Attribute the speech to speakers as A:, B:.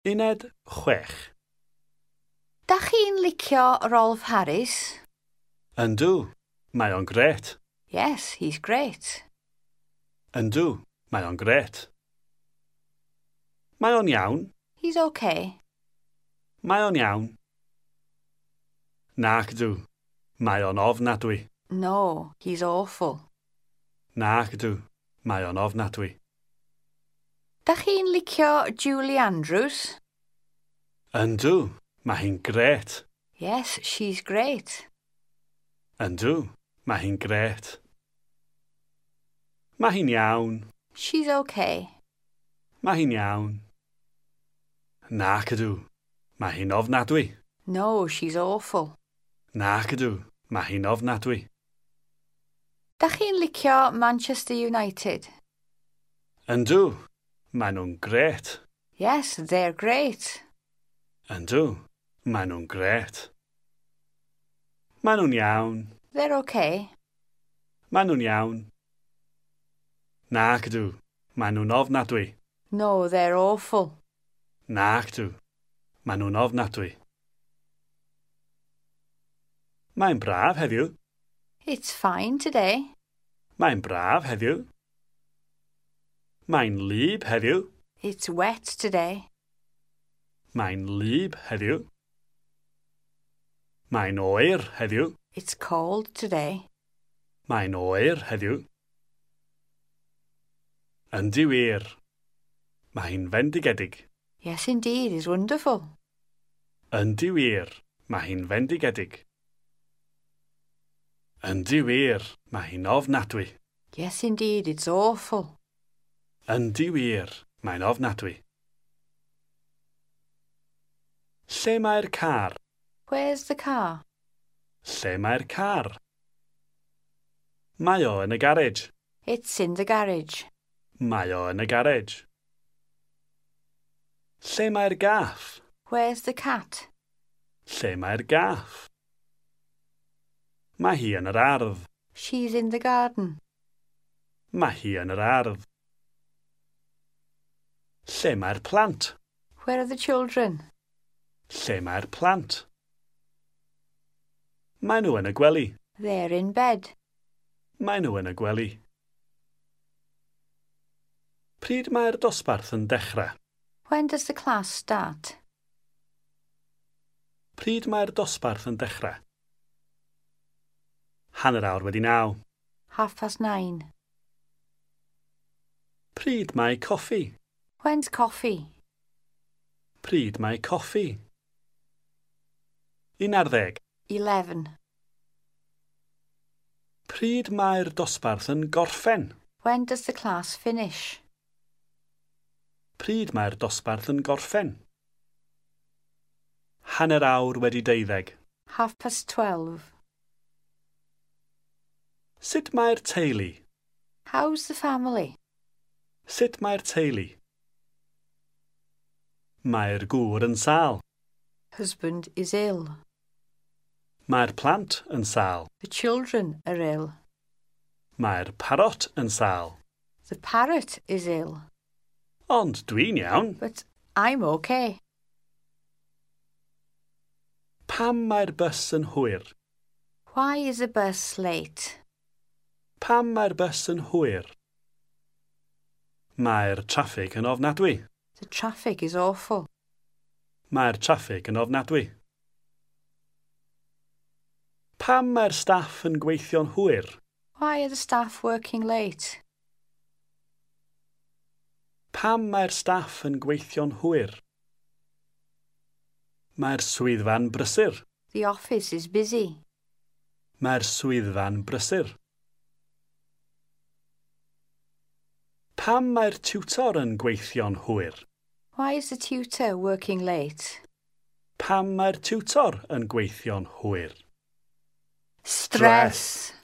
A: Uned 6.
B: Da chi'n licio Rolf Harris?
A: Yndw, mae o'n grêt.
B: Yes, he's great.
A: Yndw, mae o'n grêt. Mae o'n iawn.
B: He's okay.
A: Mae o'n iawn. Nac ydw. Mae o'n ofnadwy.
B: No, he's awful.
A: Nac ydw. Mae o'n ofnadwy.
B: Da chi'n licio Julie Andrews?
A: Yndw, mae hi'n grêt.
B: Yes, she's great.
A: Yndw, mae hi'n grêt. Mae hi'n iawn.
B: She's okay.
A: Mae hi'n iawn. Nac ydw. Mae hi'n ofnadwy.
B: No, she's awful.
A: Nac ydw. Mae hi'n ofnadwy.
B: Da chi'n licio Manchester United?
A: Yndw, maen nhw'n grêt.
B: Yes, they're great.
A: Yndw, maen nhw'n grêt. Maen nhw'n iawn.
B: They're okay.
A: Maen nhw'n iawn. Nac ydw, maen nhw'n ofnadwy.
B: No, they're awful.
A: Nac ydw, maen nhw'n ofnadwy. Mae'n braf heddiw.
B: It's fine today.
A: Mae'n braf heddiw. Mae'n wlyb heddiw.
B: It's wet today.
A: Mae'n wlyb heddiw. Mae'n oer heddiw.
B: It's cold today.
A: Mae'n oer heddiw. Yndi wir. Mae hi'n fendigedig.
B: Yes, indeed, it's wonderful.
A: Yndi wir. Mae hi'n fendigedig. Yndi wir. Mae hi'n ofnadwy.
B: Yes, indeed, it's awful.
A: Yndi wir. Mae'n ofnadwy. Lle mae'r car?
B: Where's the car?
A: Lle mae'r car? Mae o yn y garej.
B: It's in the garage.
A: Mae o yn y garej. Lle mae'r gath?
B: Where's the cat?
A: Lle mae'r gath? Mae hi yn yr ardd.
B: She's in the garden.
A: Mae hi yn yr ardd. Lle mae'r plant?
B: Where are the children?
A: Lle mae'r plant? Maen nhw yn y gwely.
B: They're in bed.
A: Maen nhw yn y gwely. Pryd mae'r dosbarth yn dechrau?
B: When does the class start?
A: Pryd mae'r dosbarth yn dechrau? 9:30.
B: 9:30.
A: Pryd mae coffi?
B: When's coffee?
A: Pryd mae coffi? 11.
B: 11.
A: Pryd mae'r dosbarth yn gorffen?
B: When does the class finish?
A: Pryd mae'r dosbarth yn gorffen? 12:30.
B: 12:30.
A: Sut mae'r teulu?
B: How's the family?
A: Sut mae'r teulu? Mae'r gŵr yn sâl.
B: Husband is ill.
A: Mae'r plant yn sâl.
B: The children are ill.
A: Mae'r parot yn sâl.
B: The parrot is ill.
A: Ond dwi'n iawn.
B: But I'm okay.
A: Pam mae'r bws yn hwyr?
B: Why is the bus late?
A: Pam mae'r bws yn hwyr? Mae'r traffig yn ofnadwy.
B: The traffic is awful.
A: Mae'r traffig yn ofnadwy. Pam mae'r staff yn gweithio'n hwyr?
B: Why are the staff working late?
A: Pam mae'r staff yn gweithio'n hwyr? Mae'r swyddfa'n brysur.
B: The office is busy.
A: Mae'r swyddfa'n brysur. Pam mae'r tiwtor yn gweithio'n hwyr?
B: Why is the tutor working late?
A: Pam mae'r tiwtor yn gweithio'n hwyr?
B: Stress.